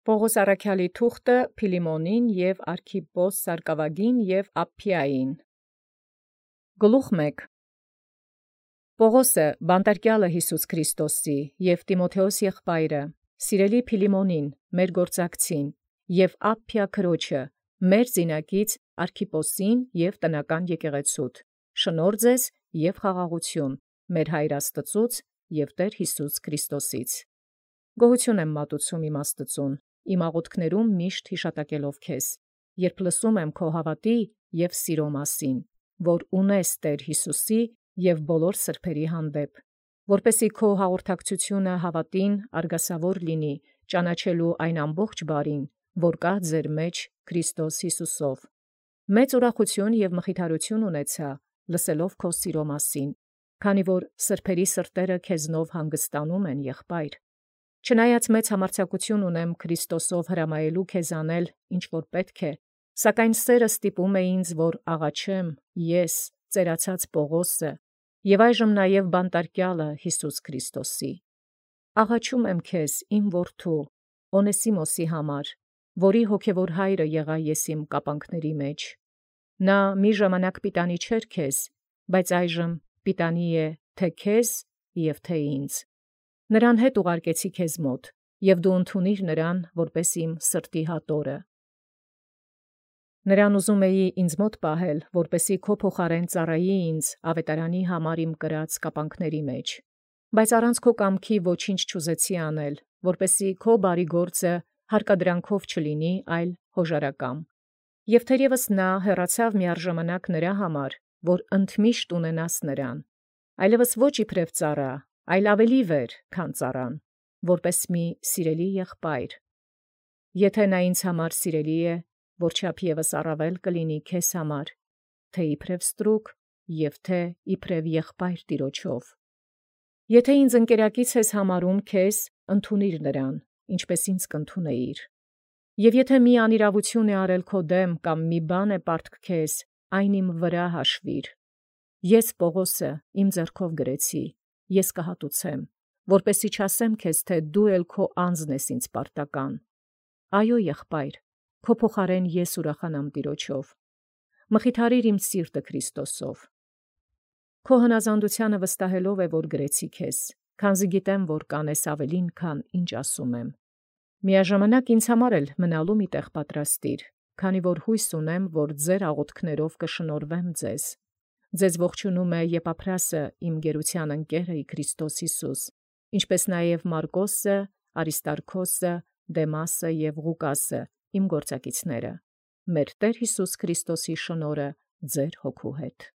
Պողոս առաքյալի թուղթը Փիլիմոնին և Արքիպպոս Սարկավագին և Ափփիային։ Գլուխ 1. Պողոսը բանտարկյալը Յիսուս Քրիստոսի և Տիմոթեոս եղբայրը, սիրելի Փիլիմոնին, մեր գործակցին, և Ափփիա քրոջը, մեր զինակից Արքիպոսին և տնական եկեղեցուդ, շնորհ ձեզ և խաղաղություն մեր Հայր Աստծուց և Տեր Յիսուս Քրիստոսից։ Գոհություն եմ մատուցում իմ Աստծուն, իմ աղոթքներում միշտ հիշատակելով քեզ, երբ լսում եմ քո հավատի և սիրո մասին, որ ունես Տեր Յիսուսի և բոլոր սրբերի հանդեպ, որպեսզի քո հաղորդակցությունը հավատին արգասավոր լինի, ճանաչելու այն ամբողջ բարին, որ կա ձեր մեջ Քրիստոս Յիսուսով։ Մեծ ուրախություն և մխիթարություն ունեցա, լսելով քո սիրո մասին, քանի որ սրբերի սրտերը քեզնով հանգստանում են, եղբայր։ Չնայած մեծ համարձակություն ունեմ Քրիստոսով հրամայելու քեզ անել, ինչ որ պետք է, սակայն սերը ստիպում է ինձ, որ աղաչեմ ես, ծերացած Պողոսը, և այժմ նաև բանտարկյալը Յիսուս Քրիստոսի։ Աղաչում եմ քեզ, իմ որդու, Օնեսիմոսի համար, որի հոգևոր հայրը եղա ես իմ կապանքների մեջ։ Նա մի ժամանակ պիտանի չէր քեզ, բայց այժմ պիտանի է թե քեզ և թե ինձ։ Նրան հետ ուղարկեցի քեզ մոտ, և դու ընդունիր նրան որպես իմ սրտի հատորը։ Նրան ուզում էի ինձ մոտ պահել, որպեսզի քո փոխարեն ծառայի ինձ ավետարանի համար իմ կրած կապանքների մեջ, բայց առանց քո կամքի ոչինչ չուզեցի անել, որպեսզի քո բարի գործը հարկադրանքով չլինի, այլ հոժարակամ։ Եվ թերևս նա հեռացավ միառժամանակ նրա համար, որ ընդմիշտ ունենաս նրան, այլևս ոչ իբրև ծառա, այլ ավելի վեր, քան ծառան, որպես մի սիրելի եղբայր։ Եթե նա ինձ համար սիրելի է, որչափ ևս առավել կլինի քեզ համար, թե իբրև ստրուկ և թե իբրև եղբայր Տիրոջով։ Եթե ինձ ընկերակից ես համարում քեզ, ընդունիր նրան, ինչպես ինձ կընդունեիր։ Եվ եթե մի անիրավություն է արել քո դեմ կամ մի բան է պարտք քեզ, այն իմ վրա հաշվիր։ Ես Պողոսը իմ ձեռքով գրեցի, ես կհատուցեմ, որպեսզի չասեմ քեզ, թե դու էլ քո անձն ես ինձ պարտական։ Այո, եղբայր, քո փոխարեն ես ուրախանամ Տիրոջով։ Մխիթարիր իմ սիրտը Քրիստոսով։ Քո հնազանդությանը վստահելով է, որ գրեցի քեզ, քանզի գիտեմ, որ կանես ավելին, քան ինչ ասում եմ։ Միաժամանակ ինձ համար էլ մնալու մի տեղ պատրաստիր, քանի որ հույս ունեմ, որ ձեր աղոթքներով կշնորհվեմ ձեզ։ Ձեզ ողջունում է Եփափրասը, իմ գերության ընկերը Քրիստոս Յիսուս, ինչպես նաև Մարկոսը, Արիստարքոսը, Դեմասը և Ղուկասը, իմ գործակիցները։ Մեր Տեր Յիսուս Քրիստոսի շնորհը ձեր հոգու հետ։